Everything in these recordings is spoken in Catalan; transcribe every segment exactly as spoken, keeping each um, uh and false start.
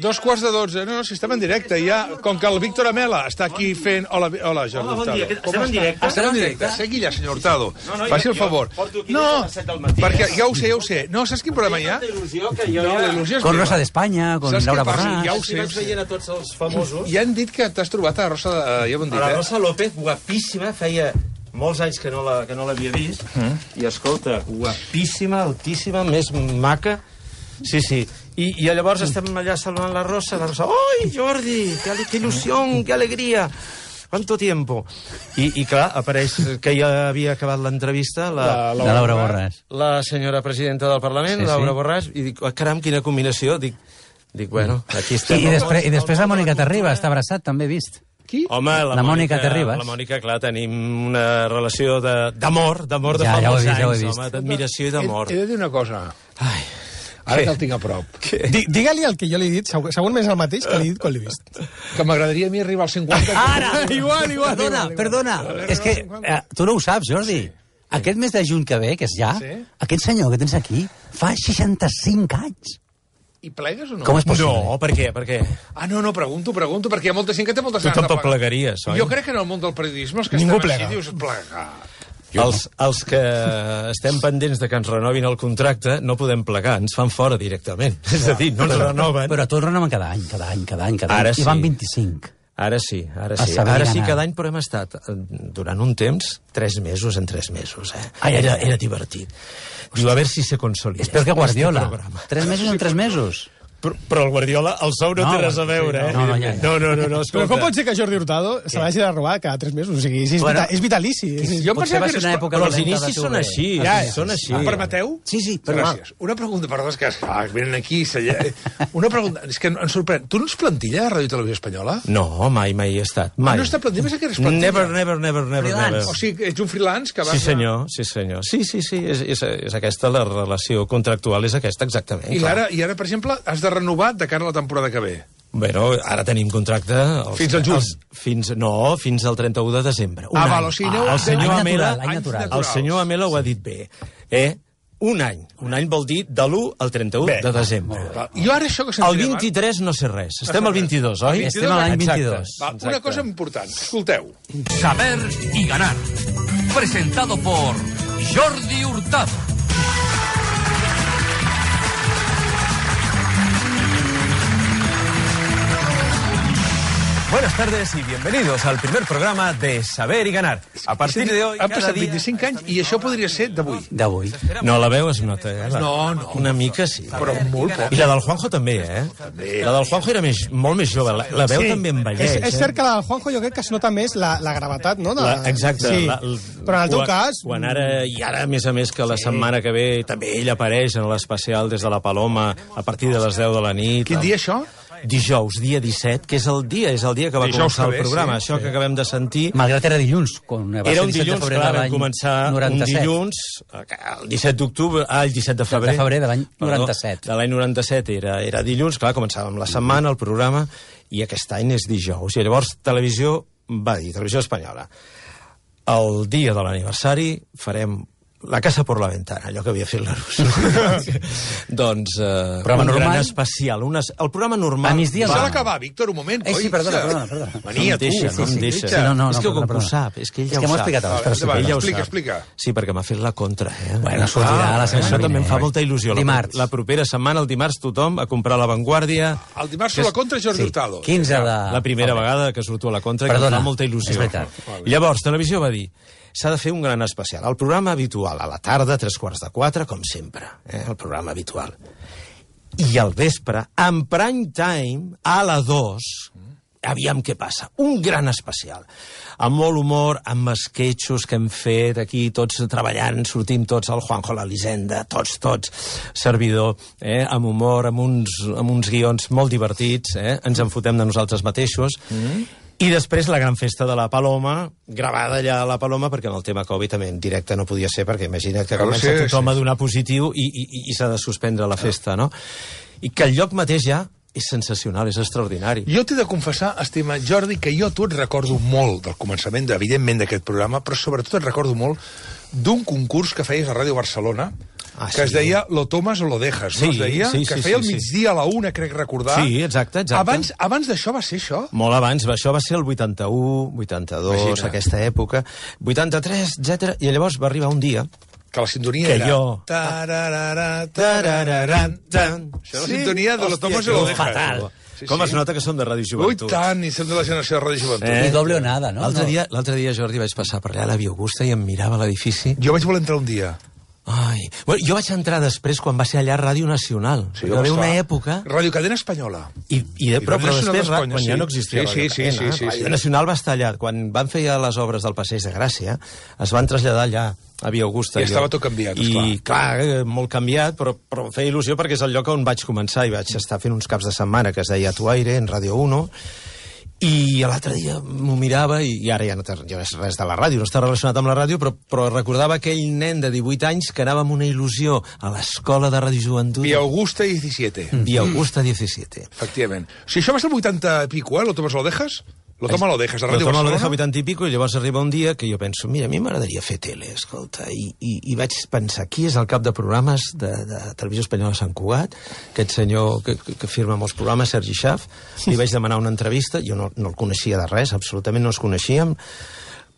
Dos quarts de dotze. No, no, si estem en directe. Ja, com que el Víctor Amela està aquí fent... Hola, hola Jordi Hola, bon Hurtado. dia. Estem en directe? Estem en directe. Segui ja, senyor Hurtado. No, no, Faci jo- el favor. jo porto aquí No, des de les set del matí, perquè eh? ja ho sé, ja ho sé. No, saps quin problema hi ha? Tanta il·lusió que jo No, ja... la il·lusió és Con meva. Rosa d'Espanya, con Saps què Laura passa? Borràs... Ja ho Sí, sé. vaig veient a tots els famosos. I han dit que t'has trobat a la Rosa... de- Ja ho han dit, A la eh? Rosa López, guapíssima, feia molts anys que no la- que no l'havia vist. I, escolta, guapíssima, altíssima, més maca. Sí, sí. I, i llavors estem allà saludant la Rosa. La Rosa, ¡ay, Jordi! ¡Qué, ale- qué ilusión, qué alegría! ¿Cuánto tiempo? I, i clar, apareix que ja havia acabat l'entrevista la, De Laura Borràs. la senyora presidenta del Parlament, Sí, Laura sí. Borràs, i dic, oh, caram, quina combinació. Dic, dic bueno, aquí I, estem. i, després, I després la Mònica Terriba està abraçat, també he vist. Qui? Home, la, La Mònica Terribas. La Mònica, clar, tenim una relació de- d'amor, d'amor de Ja, fa ja ho he molts vist, ja ho he anys, vist. home, d'admiració i He, d'amor. he de dir una cosa. Ai, Ara Què? que el tinc a prop. Di- Digue-li el que jo li he dit, segur, segurament és el mateix que li he dit quan l'he vist. Que m'agradaria a mi arribar als cinquanta... Ara! Igual, igual, Perdona, igual, igual. perdona. És que eh, tu no ho saps, Jordi. Aquest mes de juny que ve, que és ja, Sí. aquest senyor que tens aquí fa seixanta-cinc anys. I plegues o no? Com és possible? no, per què, per què? Ah, no, no, pregunto, pregunto, perquè hi ha molta gent que té moltes Tu ganes de tampoc plegar. plegaries, oi? Jo crec que en el món del periodisme els que Ningú estan plega. així dius plegar. Els, els que estem pendents de que ens renovin el contracte no podem plegar, ens fan fora directament. És a dir, no ens renoven. Però tu el renoven cada any, cada any, cada any, cada any. Ara I van sí. vint-i-cinc. Ara sí, ara A sí. saber Ara sí, anar. cada any, però hem estat eh, durant un temps, tres mesos en tres mesos, eh? Ai, ai, Era, ai. era divertit. Diu, a veure si se consolida. És per que Guardiola. este programa. Tres mesos en tres mesos. Però, però el Guardiola, el sou no, No, té res a veure, eh? no, no, ja, ja. no, no, no, no, Però escolta. com pot ser que Jordi Hurtado se l'hagi de robar cada tres mesos? O sigui, és, Bueno, vita, és vitalici. És, Jo Potser pensava va que ser una eres- època Però els dolenta de inicis tu, són bé. així, Ja, són així. Em permeteu? Sí, sí, però Gràcies. Una pregunta, perdó, és que ah, venen aquí... S'allà... Una pregunta, és que em sorprèn. Tu no ets plantilla de Ràdio i Televisió Espanyola? No, mai, mai he estat. Mai. Ah, no està plantilla? Pensa que eres plantilla. Never, never, never, never, Freelance. never. O sigui, ets un freelance que vas... Sí, senyor, sí, senyor. Sí, sí, sí, és, és, és aquesta la relació contractual, és aquesta, exactament. I clar. ara, I ara, per exemple, has de renovar de cara a la temporada que ve. Bueno, ara tenim contracte... Els, Fins al juny. Els, fins, no, fins al trenta-u de desembre. Un Ah, any. val, o sigui, aneu- el senyor Any Amela, natural, any natural. el senyor Amela ho ha dit bé. Eh? Un any. Un any vol dir de l'u al trenta-u Bé, de desembre. Va, Jo ara això que El sentiré vint-i-tres no sé res. Estem al vint-i-dos, oi? Estem a l'any Exacte. vint-i-dos. Va, una cosa important. Escolteu. Saber y ganar. Presentado por Jordi Hurtado. Buenas tardes y bienvenidos al primer programa de Saber y Ganar. A partir de hoy, Han cada passat dia... vint-i-cinc anys i això podria ser d'avui. D'avui. No, la veu es nota, eh? La... No, no. Una mica sí. Però molt poc. I la del Juanjo també, eh? La del Juanjo era més, molt més jove. La, la veu també envelleix, és, és eh? cert que la del Juanjo jo crec que es nota més la, la gravetat, no? De, La, exacte. Sí. La, l- Però en el teu quan- cas... Quan ara, i ara, a més a més, que la setmana que ve també ell apareix en l'especial des de la Paloma a partir de les deu de la nit. Quin dia, això? Dijous, dia disset, que és el dia, és el dia que va Dijous començar que ve, el programa. sí, Això que acabem de sentir... Malgrat era dilluns, quan va Era ser un disset de dilluns, febrer clar, de vam l'any començar un noranta-set. dilluns, el disset d'octubre, ah, el disset de febrer. de febrer de l'any Perdó, noranta-set. De l'any noranta-set era, era dilluns, clar, començàvem la setmana, el programa, i aquest any és dijous. I llavors Televisió va dir, Televisió Espanyola, el dia de l'aniversari farem la casa por la ventana, allò que havia fet la Rus. doncs, eh, Programa un normal? gran especial. Un es... El programa normal... A migdia S'ha va. d'acabar, Víctor, un moment. Ai, sí, oi? perdona, perdona, perdona. Venia, no em deixa, tu. no em deixa. Sí, no, no, és no, que com perdona, que ho perdona. sap, és que ell És ja que ho m'ho ha sap. explicat abans, Vale, però sí. endavant, Ell ja ho explica, sap. explica. Sí, perquè m'ha fet la contra, eh? Bueno, sortirà la setmana Això també vinent. em fa molta il·lusió. La- Dimarts. La propera setmana, el dimarts, tothom a comprar La Vanguardia. El dimarts surt la contra Jordi Sí, Hurtado. quinze de... La primera vegada que surto a la contra, que Perdona, em fa molta il·lusió. és veritat. Llavors, Televisió va dir, s'ha de fer un gran especial. El programa habitual, a la tarda, tres quarts de quatre, com sempre, eh? el programa habitual. I al vespre, en prime time, a la dos, aviam què passa. Un gran especial. Amb molt humor, amb esquetxos que hem fet aquí, tots treballant, sortim tots, el Juanjo, l'Elisenda, tots, tots, servidor, eh? amb humor, amb uns, amb uns guions molt divertits, eh? ens en fotem de nosaltres mateixos, mm. I després la gran festa de la Paloma, gravada allà a la Paloma, perquè en el tema Covid també en directe no podia ser, perquè imagina't que Claro, comença sí, tothom sí. a donar positiu i, i, i s'ha de suspendre la festa, no? I que el lloc mateix ja és sensacional, és extraordinari. Jo t'he de confessar, estimat Jordi, que jo a tu et recordo molt del començament, evidentment, d'aquest programa, però sobretot et recordo molt d'un concurs que feies a Ràdio Barcelona, Ah, que sí. es deia Lo tomas o lo dejas, Sí, no es deia? sí, que sí, feia sí, al migdia a la una, crec recordar. Sí, exacte, exacte. Abans, abans d'això va ser això? Molt abans, això va ser el vuitanta-u, vuitanta-dos, Imagina. aquesta època, vuitanta-tres, etcètera. I llavors va arribar un dia Que la sintonia que era... jo... Tararara, tarararan, tan. Això és la sintonia de Lo tomas o lo dejas. Fatal. Sí, Com sí. es nota que som de Ràdio Ui, Joventut. tant, i som de la generació de Ràdio Joventut. Eh? Ni doble o nada, no? L'altre No. dia, l'altre dia, Jordi, vaig passar per allà a la Via Augusta i em mirava l'edifici. Jo vaig voler entrar un dia. Ai. Bueno, jo vaig entrar després quan va ser allà a Ràdio Nacional. Sí, Hi va haver home, una clar. època... Ràdio Cadena Espanyola. I, i de, I però, Ràdio però Nacional després, d'Espanya, quan sí. ja no existia Sí, Ràdio sí, sí, Cadena, sí, sí, Ràdio sí. Nacional va estar allà. Quan van fer ja les obres del Passeig de Gràcia, es van traslladar allà a Via Augusta. I estava jo. tot canviat, I, esclar. clar, eh, molt canviat, però, però em feia il·lusió perquè és el lloc on vaig començar i vaig estar fent uns caps de setmana que es deia Tuaire, en Ràdio uno, i l'altre dia m'ho mirava i, i ara ja no té ja no és res de la ràdio, no està relacionat amb la ràdio, però, però recordava aquell nen de divuit anys que anava amb una il·lusió a l'escola de Ràdio Joventut. Via Augusta disset. Via Augusta disset. Efectivament. O sigui, això va ser el vuitanta i pico, eh? Lo tomas o lo dejas? Lo toma lo dejas, a Lo Ràdio toma lo Barcelona. deja vuitanta i pico, i llavors arriba un dia que jo penso, mira, a mi m'agradaria fer tele, escolta, i, i, i vaig pensar, qui és el cap de programes de, de Televisió Espanyola de Sant Cugat? Aquest senyor que, que, que firma molts programes, Sergi Schaaf. Li vaig demanar una entrevista, jo no, no el coneixia de res, absolutament no els coneixíem.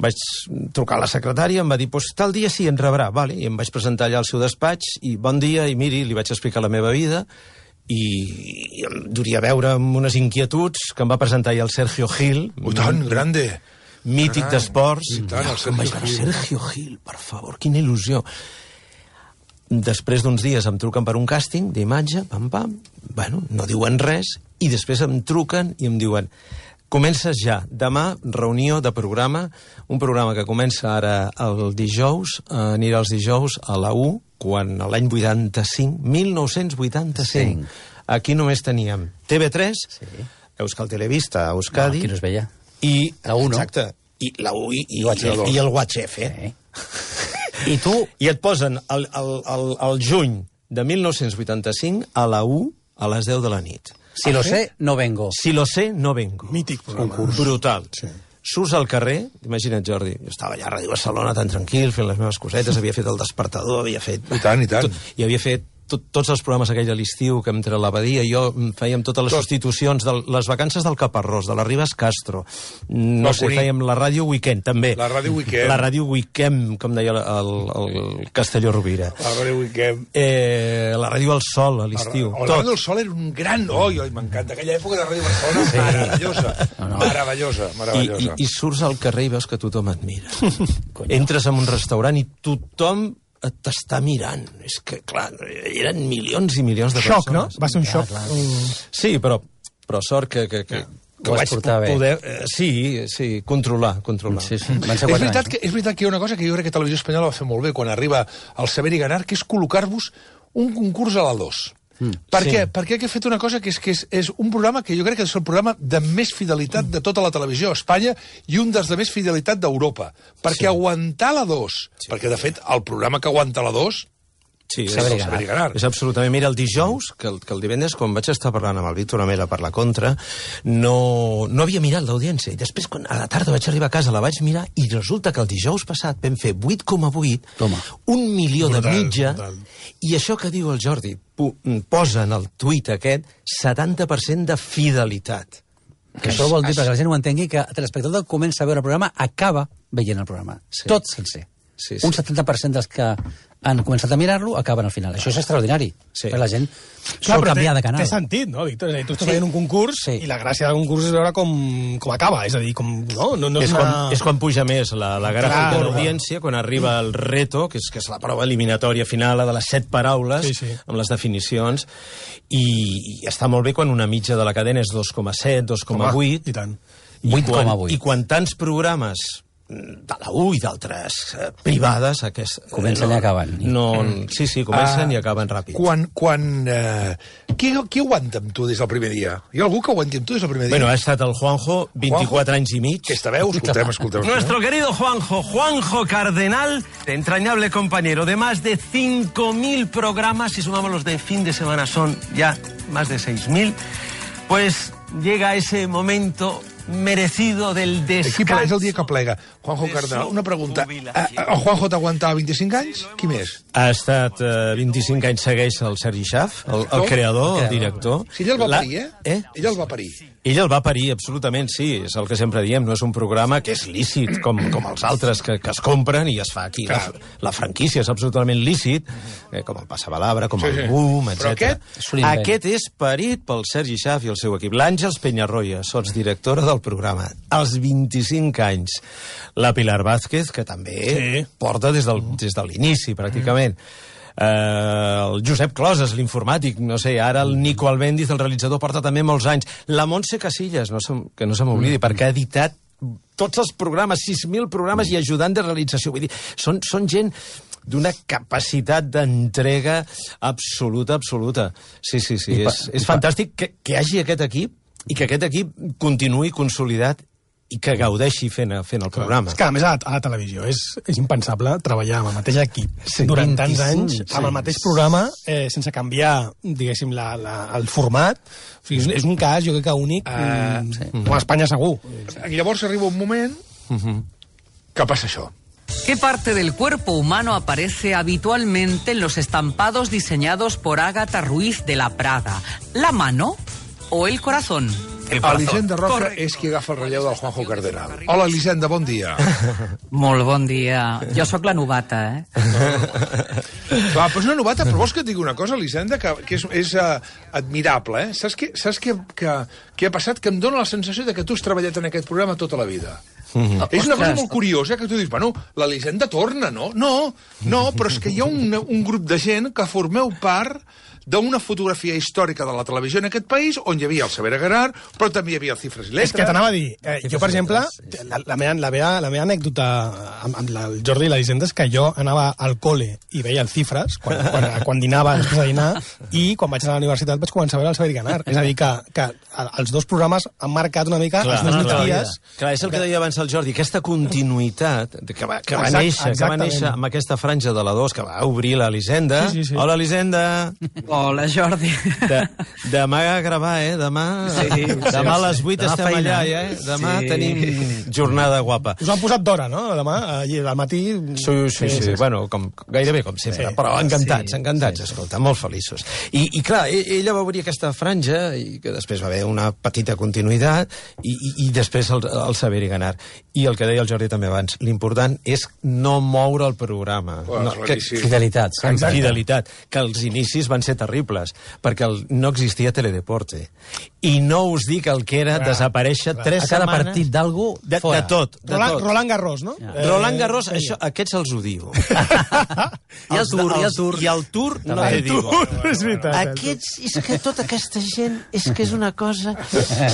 Vaig trucar a la secretària, em va dir, pues, tal dia sí, ens rebrà, vale. I em vaig presentar allà al seu despatx, i bon dia, i miri, li vaig explicar la meva vida, i, i em duria a veure amb unes inquietuds que em va presentar ja el Sergio Gil. Ui, tant, grande. Mític Caram. d'esports. I tant, el Em Sergio vaig veure, Gil. Sergio Gil, per favor, quina il·lusió. Després d'uns dies em truquen per un càsting d'imatge, pam, pam, bueno, no diuen res, i després em truquen i em diuen, comences ja, demà, reunió de programa, un programa que comença ara el dijous, eh, anirà els dijous a la U, quan l'any vuitanta-cinc, mil nou-cents vuitanta-cinc, aquí només teníem T V tres, sí. Euskal Televista, Euskadi... No, aquí no es veia. I, La U, no? Exacte. I la U i, i, I U H F. i el U H F. Sí. I tu... I et posen el, el, el, el juny de mil nou-cents vuitanta-cinc a la U a les deu de la nit. Si lo sé, no vengo. Si lo sé, no vengo. Mític programa. Concurs. Brutal. Sí. Surts al carrer, imagina't, Jordi, jo estava allà a Ràdio Barcelona tan tranquil, fent les meves cosetes, havia fet el despertador, havia fet... I tant, i tant. Tot, I havia fet tot, tots els programes aquell a l'estiu, que entre l'abadia i jo fèiem totes les Tot. substitucions, de les vacances del Caparrós, de la Ribes Castro, no Va sé, Cuní. fèiem la ràdio Weekend, també. La ràdio Weekend. La ràdio Weekend, com deia el, el, el Castelló Rovira. La Ràdio Weekend. Eh, la ràdio al Sol, a l'estiu. El Ràdio del Sol era un gran... Oi, oi, m'encanta. Aquella època de Ràdio Barcelona, sí. meravellosa. No, no. Meravellosa, I, i, meravellosa. I surts al carrer i veus que tothom et mira. Entres en un restaurant i tothom t'està mirant. És que, clar, eren milions i milions de Xoc, no? persones. Va ser un xoc. Un... Sí, però, però sort que, que, que, que Ho ho vaig vaig portar bé. poder... Eh, sí, sí, controlar, controlar. Sí, sí. Van És ser quatre veritat, anys. que, és veritat que hi ha una cosa que jo crec que Televisió Espanyola va fer molt bé quan arriba al Saber i Ganar, que és col·locar-vos un concurs a la dos. Mm. Per Sí. què? Perquè ha fet una cosa que és que és, és un programa que jo crec que és el programa de més fidelitat de tota la televisió a Espanya i un dels de més fidelitat d'Europa. Perquè Sí. aguantar la dos, sí. perquè de fet el programa que aguanta la dos Sí, és, Saber i el Saber i Ganar. és absolutament... Mira, el dijous, que el, que el divendres, quan vaig estar parlant amb el Víctor Amela per la contra, no, no havia mirat l'audiència. I després, quan a la tarda vaig arribar a casa, la vaig mirar, i resulta que el dijous passat vam fer vuit coma vuit, Toma. un milió Brutal, de mitja, brutal. i això que diu el Jordi, pu- posa en el tuit aquest setanta per cent de fidelitat. Que això vol dir, perquè la gent ho entengui, que l'espectador comença a veure el programa, acaba veient el programa. Sí. Tot sencer. Sí, sí. Un setanta per cent dels que han començat a mirar-lo acaben al final. Això és extraordinari. Sí. Per la gent Clar, sol però canviar té, de canal. té sentit, no, Víctor? És a dir, tu estàs Sí. veient un concurs Sí. i la gràcia del concurs és veure com, com acaba. És a dir, com... No, no, no és, És una... quan, és quan puja més la, la gràfica Clar, de l'audiència, quan arriba el reto, que és, que és la prova eliminatòria final, la de les set paraules, Sí, sí. amb les definicions, i, i està molt bé quan una mitja de la cadena és dos coma set, dos coma vuit, I tant. i, vuit quan, coma vuit. i quan tants programes de la U i d'altres eh, privades aquest, eh, Comencen no, i acaben. no, sí, sí, comencen Ah, i acaben ràpid. Quan... quan eh, qui, qui aguanta amb tu des del primer dia? Hi ha algú que aguanti amb tu des del primer dia? Bueno, ha estat el Juanjo, vint-i-quatre Juanjo? anys i mig. Aquesta veu, escoltem, escoltem. Nuestro querido Juanjo, Juanjo Cardenal, entrañable compañero de más de cinco mil programas, si sumamos los de fin de semana son ya más de seis mil, pues llega ese momento merecido del Aquí descanso. és el dia que plega. Juanjo Cardenal, una pregunta. Eh, El Juanjo t'aguantava vint-i-cinc anys? Qui més? Ha estat uh, vint-i-cinc anys, segueix el Sergi Schaff, el, el creador, el director. Si ell el va La- parir, eh? eh? Ell el va parir. Ell el va parir, absolutament, sí. És el que sempre diem, no és un programa que és lícit, com, com els altres que, que es compren i es fa aquí. La, la franquícia és absolutament lícit, eh, com el Passabalabra, com Sí, el sí. Boom, Però etcètera. és un invent. Aquest és parit pel Sergi Schaff i el seu equip. L'Àngels Peñarroya, sotsdirectora del programa, als vint-i-cinc anys. La Pilar Vázquez, que també Sí. porta des, del, des de l'inici, pràcticament. Uh, el Josep Closes, l'informàtic, no sé, ara el Nico Albéndiz, el realitzador, porta també molts anys. La Montse Casillas, no se, que no se m'oblidi, mm. perquè ha editat tots els programes, sis mil programes i ajudant de realització. Vull dir, són, són gent d'una capacitat d'entrega absoluta, absoluta. Sí, sí, sí, I pa- és, i és pa- fantàstic que, que hi hagi aquest equip i que aquest equip continuï consolidat i que gaudeixi fent, fent el programa. És que, a més, a la, a la televisió és, és impensable treballar amb el mateix equip Sí, durant tants vint-i-cinc, anys, sí, amb el mateix programa, eh, sense canviar, diguéssim, la, la, el format. O sigui, és, és un cas, jo crec que únic, uh, sí. com a Espanya segur. I llavors arriba un moment que passa això. ¿Qué parte del cuerpo humano aparece habitualmente en los estampados diseñados por Ágata Ruiz de la Prada? ¿La mano o el corazón? El Elisenda Roca és qui agafa el relleu del Juanjo Cardenal. Hola, Elisenda, bon dia. Molt bon dia. Jo sóc la novata, eh? Va, però és una novata, però vols que et digui una cosa, Elisenda, que, que és, és uh, admirable, eh? Saps, què, saps què, que, què ha passat? Que em dóna la sensació de que tu has treballat en aquest programa tota la vida. Mm-hmm. És una cosa molt curiosa, que tu dius, bueno, l'Elisenda torna, no? No, no, però és que hi ha un, un grup de gent que formeu part d'una fotografia històrica de la televisió en aquest país, on hi havia el Saber Agarrar, però també hi havia el Cifres i Letres. És que t'anava a dir, eh, jo, per exemple, la, la, meva, la, meva, la meva anècdota amb, amb la, el Jordi i la Elisenda és que jo anava al col·le i veia el Cifres, quan, quan, quan dinava, després de dinar, i quan vaig anar a la universitat vaig començar a veure el Saber i Ganar. És a dir, que, que els dos programes han marcat una mica Clar, els meus clar, migdies. clar, és el que deia abans el Jordi, aquesta continuïtat que va, que va, Exacte, néixer, que va exactament. néixer amb aquesta franja de la dos que va obrir l'Elisenda. Sí, sí, sí. Hola, Elisenda. Hola, Jordi. De, demà a gravar, eh? Demà, Sí, demà a les vuit Demà estem feina. allà, eh? Demà Sí. tenim jornada guapa. Us han posat d'hora, no? Demà, allà, al matí... Sí, sí, sí, sí. Bueno, com, gairebé com sempre, Sí. però encantats, Sí, encantats, escolta, molt feliços. I, i clar, e- ella va obrir aquesta franja, i que després va haver una petita continuïtat, i, i, i després el, el Saber i Ganar. I el que deia el Jordi també abans, l'important és no moure el programa. Bueno, no, claríssim. Fidelitat. sempre. Fidelitat, que els inicis van ser terribles, perquè el, no existia Teledeporte. I no us dic el que era Clar, desaparèixer clar. tres A cada setmanes... partit d'algú, de, fora. de tot, de Roland, tot. Roland Garros, no? Ja. Roland Garros, això, aquests els odio. I el Els- Tour, i el els- Tour. I el Tour, no També. te El digo. És veritat. Aquests, és que tota aquesta gent, és que és una cosa...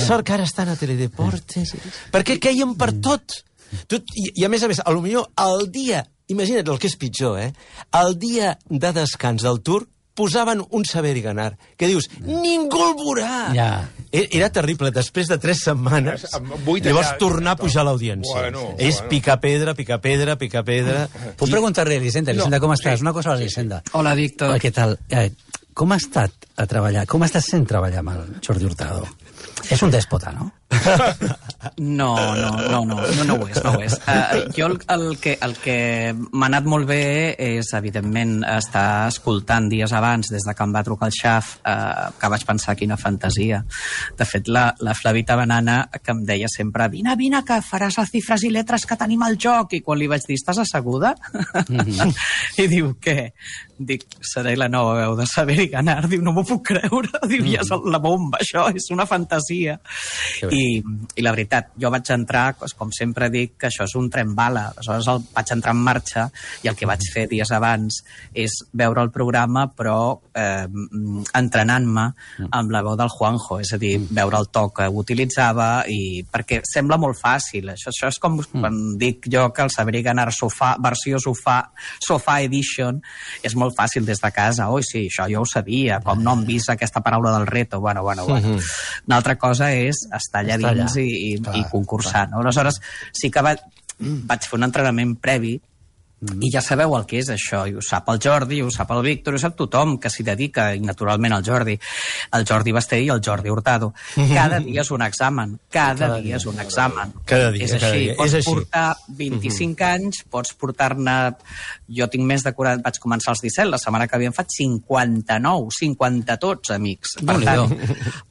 Sort que ara estan a Teledeporte, perquè queien per tot. tot i, I a més a més, a lo millor el dia, imagina't el que és pitjor, eh? El dia de descans del Tour posaven un Saber i Ganar, que dius, ningú el veurà! Ja. E- Era terrible, després de tres setmanes, Amb vuit llavors allà, tornar a pujar l'audiència. Bueno, És bueno. picar pedra, picar pedra, picar pedra... Puc preguntar-li a Elisenda, Elisenda, No, com estàs? sí. Una cosa a l'Elisenda. Hola, Víctor. Què tal? Eh, com ha estat a treballar? Com estàs sent treballar amb el Jordi Hurtado? És un dèspota, no? No, no, no, no, no, no ho és, no ho és. Uh, jo el, el que, el que m'ha anat molt bé és, evidentment, estar escoltant dies abans, des de que em va trucar el Xaf, uh, que vaig pensar quina fantasia. De fet, la, la Flavita Banana, que em deia sempre, vine, vine, que faràs les Cifres i Letres que tenim al joc, i quan li vaig dir, estàs asseguda? Mm-hmm. I diu, què? Dic, seré la nova veu de Saber i Ganar. Diu, no m'ho puc creure. Diu, ja és la bomba, això, és una fantasia. I, I la veritat, jo vaig entrar, com sempre dic, que això és un tren bala. Aleshores el, vaig entrar en marxa i el que vaig fer dies abans és veure el programa, però eh, entrenant-me amb la veu del Juanjo, és a dir, veure el to que utilitzava, i perquè sembla molt fàcil. Això, això és com quan dic jo que el Saber i Ganar sofà, versió sofà, sofà edition, és molt fàcil des de casa. Oi, sí, això jo ho sabia, com no hem vist aquesta paraula del reto. Bueno, bueno, bueno. Una altra cosa és estar allà Estar allà. dins i, i, i concursar, no? Aleshores, sí que va, vaig fer un entrenament previ Mm. I ja sabeu el que és això, i ho sap el Jordi, ho sap el Víctor, ho sap tothom que s'hi dedica, i naturalment el Jordi, el Jordi Basté i el Jordi Hurtado. Cada dia és un examen, cada, cada dia, dia és un examen. Cada dia, és així. cada dia. Pots és així. portar vint-i-cinc mm-hmm. anys, pots portar-ne... Jo tinc més de quaranta... Vaig començar als disset, la setmana que havien fet cinquanta-nou, cinquanta tots, amics. Per tant,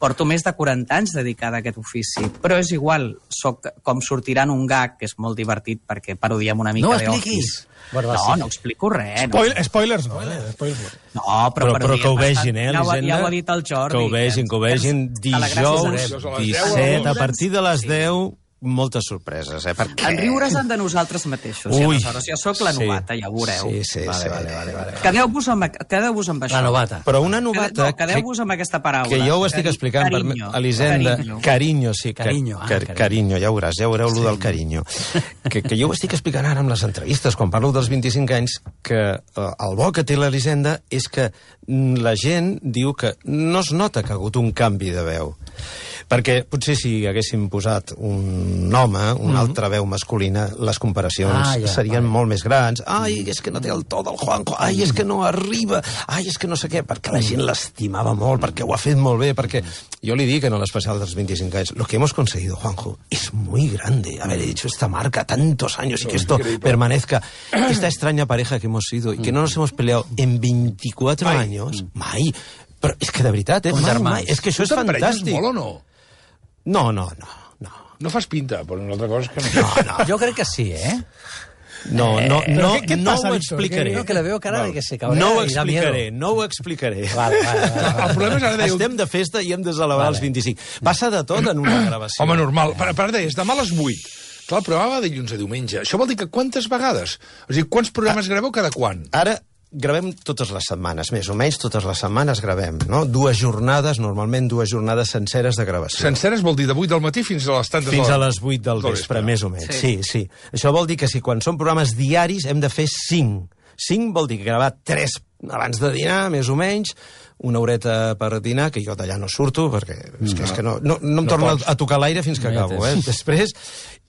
porto més de quaranta anys dedicada a aquest ofici. Però és igual, soc com sortirà en un gag, que és molt divertit, perquè parodiem una mica no de expliquis. Bueno, no, no explico res. Spoil, no. Spoilers no, eh? Spoilers. No, però, però, però que ho vegin, eh, ja, Elisenda? ja ho ha dit el Jordi. Que ho vegin, que ho vegin dijous, disset, a partir de les deu, moltes sorpreses, eh? Perquè... En riures han de nosaltres mateixos. Ui, i aleshores jo sóc la novata, sí. Ja ho veureu. Sí, sí, vale, sí. Vale, vale, vale. Quedeu-vos amb, quedeu amb això. La novata. Però una novata... No, quedeu-vos amb aquesta paraula. Que jo ho estic Cari explicant carinyo, per Elisenda. Carinyo. Carinyo, sí. Carinyo, ah, car carinyo. carinyo, ja ho veuràs, ja veureu sí. Lo del carinyo. Que, que jo ho estic explicant ara amb les entrevistes, quan parlo dels vint-i-cinc anys, que eh, el bo que té l'Elisenda és que la gent diu que no es nota que ha hagut un canvi de veu. Perquè potser si haguéssim posat un home, una mm-hmm. altra veu masculina, les comparacions ah, ja, serien vale. Molt més grans. Ai, és que no té el to del Juanjo. Ai, és que no arriba. Ai, és que no sé què. Perquè la gent l'estimava molt, perquè ho ha fet molt bé, perquè... Jo li dic en l'especial dels vint-i-cinc anys, lo que hemos conseguido, Juanjo, es muy grande. Haber hecho esta marca tantos años y que esto permanezca. Esta extraña pareja que hemos sido y que no nos hemos peleado en veinticuatro mai. Años. Mai. Però és que de veritat, eh? Mai, mai. És que això és fantàstic. Molt o no? No, no, no, no. No fas pinta, però una altra cosa és que no. No, no. Jo crec que sí, eh? No, no, Eh, no, què- què et no passa, ho Víctor? explicaré. Creo que le veo cara de que se cabrea No ho y da miedo. explicaré, no ho explicaré. Vale, vale, vale, vale. El problema és ara deiu... Estem de festa i hem de celebrar Vale. els vint-i-cinc. Passa de tot en una gravació. Home, normal. Per, per deies, demà a les vuit. Clar, el programa va de dilluns a diumenge. Això vol dir que quantes vegades? O sigui, quants programes graveu cada quan? Ara gravem totes les setmanes, més o menys totes les setmanes gravem, no? Dues jornades, normalment dues jornades senceres de gravació. Senceres vol dir de vuit del matí fins a les tantes... Fins de a la- les vuit del del vespre, vespre. més o menys. Sí. sí, sí. Això vol dir que si quan són programes diaris hem de fer cinc. Cinc vol dir que gravar tres abans de dinar, més o menys, una horeta per dinar, que jo d'allà no surto, perquè és que, és que no, no, no em No torno pots. a tocar l'aire fins que No hi ha acabo, eh? temps. Després,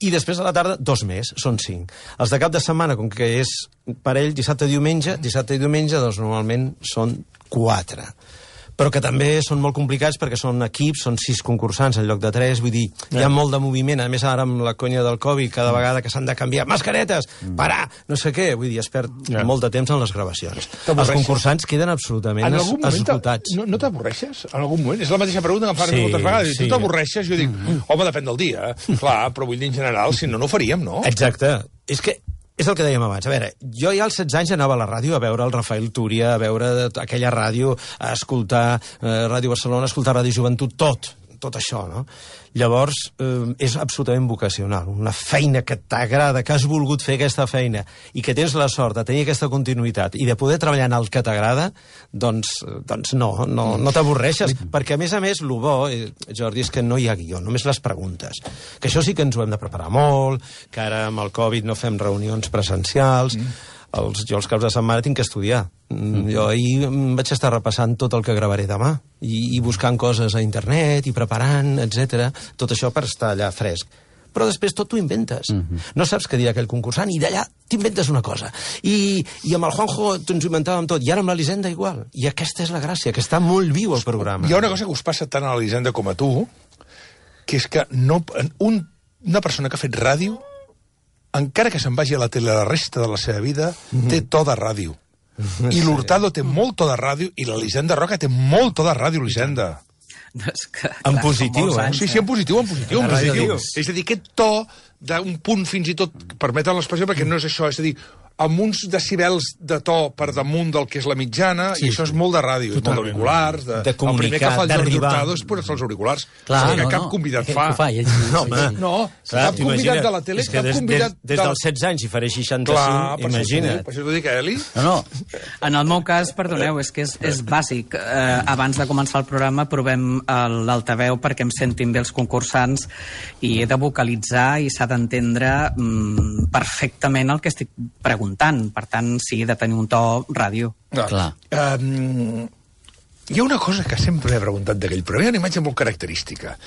i després a la tarda, dos més, són cinc. Els de cap de setmana, com que és parell, dissabte i diumenge, dissabte i diumenge, doncs normalment són quatre. Però que també són molt complicats perquè són equips, són sis concursants en lloc de tres, vull dir, hi ha molt de moviment, a més ara amb la conya del Covid, cada vegada que s'han de canviar mascaretes, parar, no sé què, vull dir, es perd Ja. molt de temps en les gravacions. Els T'avorreixes? concursants queden absolutament En es- algun moment esgotats. no, no t'avorreixes? En algun moment? És la mateixa pregunta que em fan Sí, moltes vegades. sí. Tu t'avorreixes? Jo dic, home, depèn del dia. Clar, però vull dir en general, si no, no ho faríem, no? Exacte. És que és el que dèiem abans. A veure, jo ja als setze anys anava a la ràdio a veure el Rafael Túria, a veure aquella ràdio, a escoltar eh, Ràdio Barcelona, a escoltar Ràdio Joventut, tot, tot això, no? Llavors, eh, és absolutament vocacional. Una feina que t'agrada, que has volgut fer aquesta feina i que tens la sort de tenir aquesta continuïtat i de poder treballar en el que t'agrada, doncs, doncs no, no, no t'avorreixes. Perquè, a més a més, el bo, eh, Jordi, és que no hi ha guió, només les preguntes. Que això sí que ens ho hem de preparar molt, que ara amb el Covid no fem reunions presencials, mm. Els, jo els caps de setmana tinc que estudiar. Mm. Jo ahir em vaig estar repassant tot el que gravaré demà i, i buscant coses a internet i preparant, etcètera. Tot això per estar allà fresc. Però després tot t'ho inventes. Mm-hmm. No saps què dirà aquell concursant i d'allà t'inventes una cosa. I, i amb el Juanjo ens ho inventàvem tot. I ara amb l'Elisenda igual. I aquesta és la gràcia, que està molt viu el programa. Hi ha una cosa que us passa tant a l'Elisenda com a tu, que és que no, un, una persona que ha fet ràdio, encara que se'n vagi a la tele la resta de la seva vida, mm-hmm. té to de ràdio. I l'Hurtado té molt to de ràdio i l'Elisenda Roca té molt to de ràdio, Elisenda. No, és que, En clar, positiu, són molts eh? anys, Sí, sí, en positiu, en positiu, en La ràdio positiu. dius. És a dir, aquest to d'un punt fins i tot, permeten l'expressió perquè no és això, és a dir, amb uns decibels de to per damunt del que és la mitjana, sí, i això és molt de ràdio, és molt d'auriculars, de, De el primer que comunicar, fa el Jordi d'arribar. Hurtado és posar-se els auriculars. Clar, és que no, cap no. convidat Ell fa. ho fa, ell, sí, No, sí, home. sí. No, Clar, cap convidat t'imagina- de la tele, és que cap des, convidat... Des, des de- dels setze anys i faré seixanta-cinc, Clar, per imagina't. Això, per això t'ho dic, Eli. No, no, En el meu cas, perdoneu, és que és, és bàsic. Eh, abans de començar el programa provem eh, l'altaveu perquè em sentin bé els concursants i he de vocalitzar i s'ha d'entendre mm, perfectament el que estic preguntant. Per tant, sí, he de tenir un to ràdio. clar. Um, Hi ha una cosa que sempre he preguntat d'aquell programa, hi ha una imatge molt característica,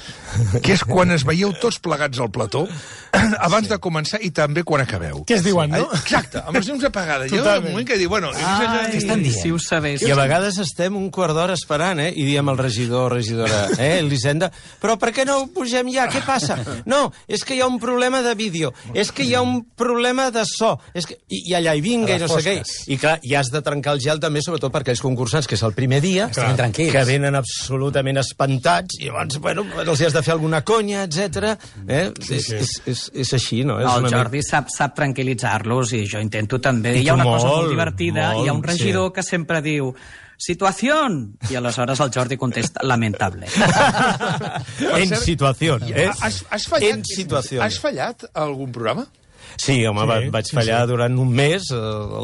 que és quan es veieu tots plegats al plató, abans de començar i també quan acabeu. Què es diuen, no? Exacte, amb els llums apagades. Hi ha un moment que diu, bueno... Ai, si ho sabés. I a vegades estem un quart d'hora esperant, eh? I diem al regidor, regidora, eh, Elisenda, però per què no ho pugem ja? Què passa? No, és que hi ha un problema de vídeo, és que hi ha un problema de so, és que... I, i allà hi vinga i no sé què. I clar, i has de trencar el gel també, sobretot per aquells concursants, que és el primer dia, que venen absolutament espantats, i llavors, bueno, els has de fer alguna conya, etcètera. Eh? Sí, sí. És, és, és així, no? És el una Jordi mica... sap, sap tranquil·litzar-los, i jo intento també. I hi ha una molt, cosa molt divertida, molt, hi ha un regidor sí. que sempre diu situación, i aleshores el Jordi contesta lamentable. En situació, eh? Has, has fallat, En situació. Has fallat a algun programa? Sí, home, sí, va, vaig fallar sí, sí. durant un mes,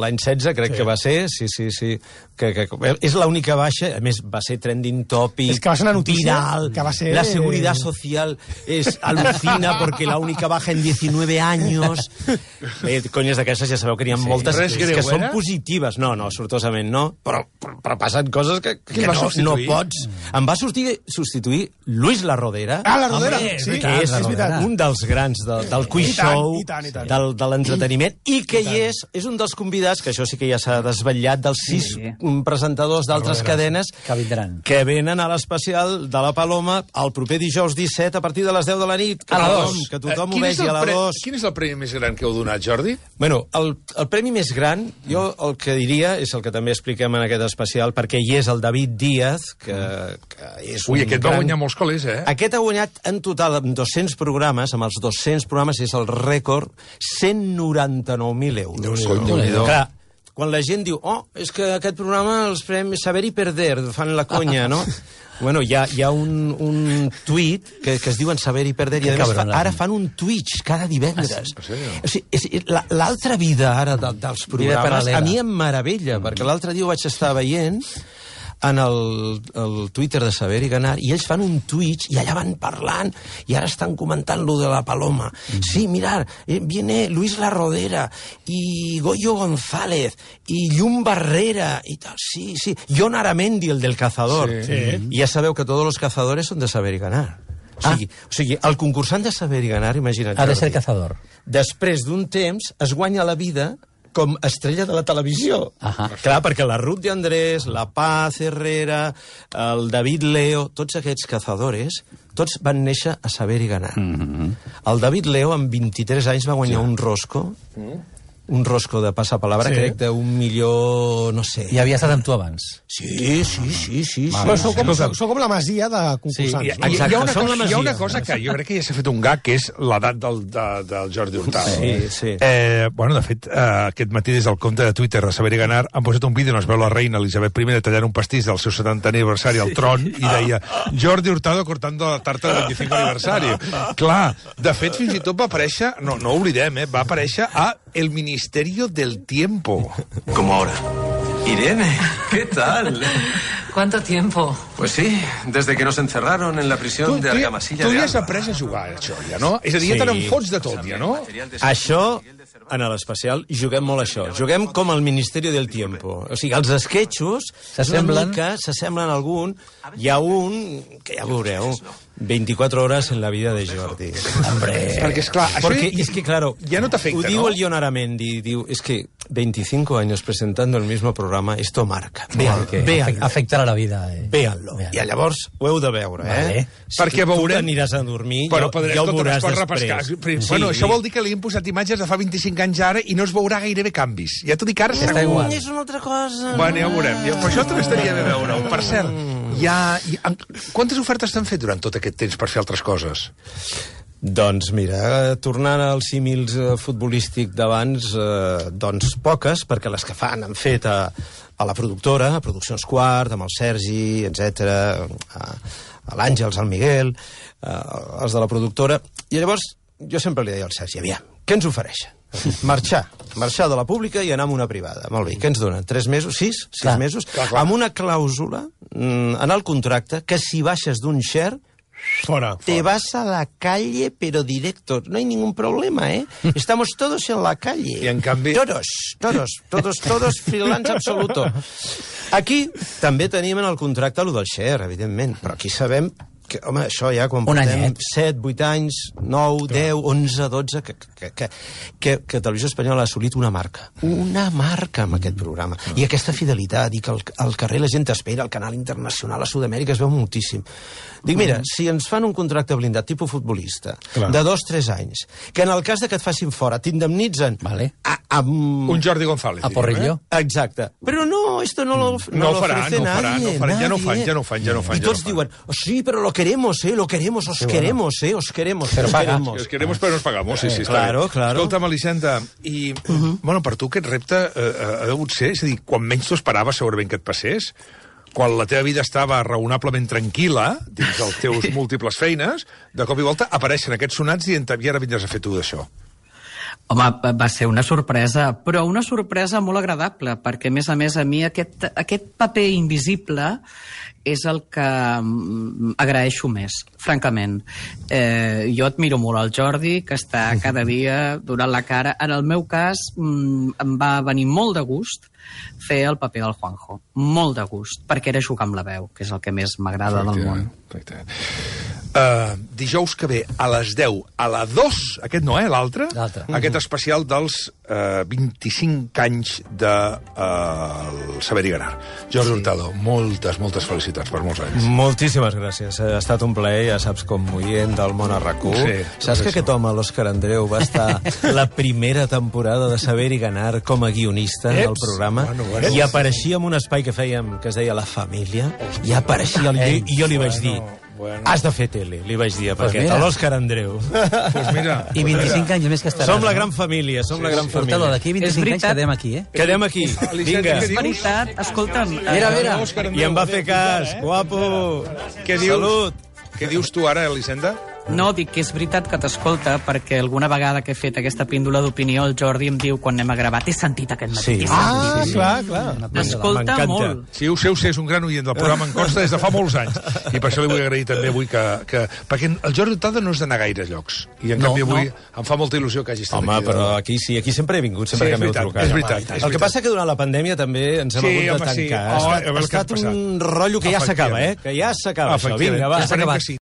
l'any setze, crec sí. que va ser, sí, sí, sí. Que, que, és l'única baixa, a més, va ser trending topic, es que va ser una notícia viral, que va ser... la seguridad social es alucina porque la única baja en diecinueve años. Eh, conyes d'aquestes ja sabeu que n'hi ha sí, moltes que, que són positives. No, no, sortosament no, però, però, però passen coses que, que no, no pots. Em va sortir, substituir Luis La Rodera. Ah, La Rodera, home, sí. Que és, és un dels grans de, del quiz I tant, show, i tant, i tant. del, de l'entreteniment, i que hi és, és un dels convidats, que això sí que ja s'ha desvetllat, dels sis sí. presentadors d'altres cadenes que vindran, que venen a l'especial de la Paloma el proper dijous disset a partir de les deu de la nit, que a tothom, que tothom eh, ho vegi a la dos. Quin és el premi més gran que heu donat, Jordi? Bueno, el, el premi més gran, jo el que diria, és el que també expliquem en aquest especial, perquè hi és el David Díaz, que, que és Ui, un aquest gran... va guanyar molts col·les, eh? Aquest ha guanyat en total amb dos-cents programes, amb els dos-cents programes és el rècord, cent noranta-nou mil euros. Déu-n'hi-do. Clar, quan la gent diu, oh, és que aquest programa els premis Saber i Perder, fan la conya, no? Bueno, hi ha, hi ha un, un tuit que, que es diuen Saber i Perder, i a més fa, ara fan un Twitch cada divendres. Ah, sí? O sigui, és, l'altra vida ara de, dels programes a mi em meravella, mm. perquè l'altre dia ho vaig estar veient en el, el Twitter de Saber i Ganar, i ells fan un Twitch i allà van parlant, i ara estan comentant lo de la Paloma. Mm. Sí, mirar, eh, viene Luis La Rodera, y Goyo González, y Llum Barrera, y tal, sí, sí. Jon Aramendi, el del Cazador. Sí. Sí. I ja sabeu que tots els cazadores són de Saber i Ganar. O sigui, ah. o sigui, el concursant de Saber i Ganar, imagina't... Ha de ser cazador. Després d'un temps es guanya la vida com estrella de la televisió. Ahà. Clar, perquè la Ruth de Andrés, la Paz Herrera, el David Leo, tots aquests cazadores, tots van néixer a Saber i Ganar. Mm-hmm. El David Leo, amb vint-i-tres anys, va guanyar sí. un rosco, mm. un rosco de passapalabra, sí. crec, d'un milió, no sé. I havia estat amb tu abans. Sí, sí, sí, sí. Però sí. sou com, sou, sou com la masia de concursants. Sí, hi, hi, hi, ha una cosa, hi ha una cosa que jo crec que ja s'ha fet un gag, que és l'edat del, de, del Jordi Hurtado. Sí, sí. Eh, bueno, de fet, eh, aquest matí des del compte de Twitter de Saber i Ganar han posat un vídeo on es veu la reina Elisabet primera tallant un pastís del seu setantè aniversari al tron i deia Jordi Hurtado cortando la tarta del veinticinco aniversari. Clar, de fet, fins i tot va aparèixer, no, no oblidem, eh, va aparèixer a El Ministerio del Tiempo. Como ahora. Irene, ¿qué tal? ¿Cuánto tiempo? Pues sí, desde que nos encerraron en la prisión tu, de Argamasilla tu de ja Alba. has après a jugar, això, ja, no? És a dir, ja te n'enfots de tot, ja, no? Això, en l'especial, juguem molt això. Juguem com el Ministeri del Tiempo. O sigui, els esquetxos s'assemblen s'assemblen a algun. Hi ha un, que ja veureu, veinticuatro horas en la vida de Jordi. Hombre. Perquè, esclar, això Porque, es que, claro, ja no t'afecta, ho diu no? el Jon Aramendi, diu, es que veinticinco años presentando el mismo programa, esto marca. Véanlo, véanlo. Afectarà la vida. Eh. Véanlo. I llavors ho heu de veure, eh? Vale. Si perquè tu veurem... t'aniràs a dormir, però ja, ja ho veuràs després. Sí. Bueno, això vol dir que li hem posat imatges de fa vint-i-cinc anys ara i no es veurà gairebé canvis. Ja t'ho dic ara... Està igual. Mm, és una altra cosa. Bueno, ja ho veurem. Ja, però això també estaria bé veure-ho. Per cert, hi ha, hi ha... quantes ofertes t'han fet durant tot aquest temps per fer altres coses? Doncs mira, tornant als símils eh, futbolístic d'abans, eh, doncs poques, perquè les que fan han fet a, a la productora, a Produccions Quart, amb el Sergi, etcètera, a, a l'Àngels, al Miguel, eh, els de la productora. I llavors jo sempre li deia al Sergi, aviam, què ens ofereixen? Marxar, marxar de la pública i anar a una privada. Molt bé, què ens donen? Tres mesos? Sis? Sis clar, mesos? Clar, clar. Amb una clàusula mm, en el contracte que si baixes d'un share Fora. Te vas a la calle, pero directo. No hay ningún problema, ¿eh? Estamos todos en la calle. I en canvi... Todos, todos, todos, todos freelance absoluto. Aquí també tenim en el contracte allò del share, evidentment, però aquí sabem que, home, això ja quan Un portem anyet. set, vuit anys, nou, deu, onze, dotze, que, que, que, que, que Televisió Espanyola ha assolit una marca. Una marca amb aquest programa. I aquesta fidelitat, i que al, al carrer la gent t'espera, al canal internacional, a Sud-amèrica, es veu moltíssim. Dic, mira, si ens fan un contracte blindat tipus futbolista, Clar. de dos, tres anys, que en el cas de que et facin fora t'indemnitzen Vale. a, amb... Un Jordi González. A diríem, Porrillo. Eh? Exacte. Però no, esto no lo, no No lo ho farà, ofrece no ho farà, nadie, no ho farà. Ja no ho fan, nadie. ja no ho fan, ja no ho fan, I ja no tots ho fan. diuen, oh, sí, però lo queremos, eh, lo queremos, os queremos, eh, os queremos, Pero os paga. queremos. Os queremos, però nos pagamos, sí, sí, està Claro, bé. claro. Escolta'm, Elisenda, i, bueno, per tu aquest repte eh, ha degut ser, és a dir, quan menys t'ho esperaves segurament que et passés, quan la teva vida estava raonablement tranquil·la, dins dels teus múltiples feines, de cop i volta apareixen aquests sonats i i ara vindràs a fer tu d'això. Home, va ser una sorpresa, però una sorpresa molt agradable, perquè, a més a més, a mi aquest, aquest paper invisible és el que mm, agraeixo més, francament. Eh, jo admiro molt el Jordi, que està cada dia donant la cara. En el meu cas, mm, em va venir molt de gust fer el paper del Juanjo. Molt de gust, perquè era jugar amb la veu, que és el que més m'agrada del món. Uh, dijous que ve a les deu, a la dos, aquest no, eh, l'altre, L'altre. aquest especial dels uh, vint-i-cinc anys de uh, el Saber i Ganar. Jordi Hurtado, moltes, moltes felicitats per molts anys. Moltíssimes gràcies. Ha estat un plaer, ja saps, com oient del món a RAC u. Sí, Saps que sí. aquest home, l'Òscar Andreu, va estar la primera temporada de Saber i Ganar com a guionista del Eps! programa, Bueno, bueno. i apareixia en un espai que fèiem, que es deia La Família, i apareixia, i, i jo li vaig dir, bueno. has de fer tele, li vaig dir a Pues Paquet, mira. a l'Òscar Andreu. Pues mira, I vint-i-cinc anys més que estaràs. Som la no? gran família, som la gran Hurtado, família. d'aquí És vint-i-cinc anys veritat. quedem aquí, eh? Quedem aquí, vinga. És veritat, escolta'm... Mira, mira. I em va fer cas, guapo. Què dius? Salut. Què dius tu ara, Elisenda? No, dic que és veritat que t'escolta, perquè alguna vegada que he fet aquesta píndola d'opinió, el Jordi em diu, quan anem a gravar, t'he sentit aquest matí. Sí. t'he Ah, sentit." clar, clar. T'escolta M'encanta. molt. Sí, ho sé, ho sé, és un gran oient del programa, en consta des de fa molts anys. I per això li vull agrair també avui que... que perquè el Jordi Hurtado no és d'anar a gaires llocs. I en No, canvi avui no. em fa molta il·lusió que hagi estat Home, aquí. però aquí sí, aquí sempre he vingut, sempre Sí, que és m'heu veritat, trucat. és veritat, Home, és El veritat. que passa que durant la pandèmia també ens hem Sí, hagut de home, sí. tancar. Oh, ha a veure estat, què ha ha estat passat. un rotllo que ja s'acaba, eh? Efectivament. Que ja s'acaba, això. Efectivament. Vinga, va. Ja s'ha Esperem acabat. que sí.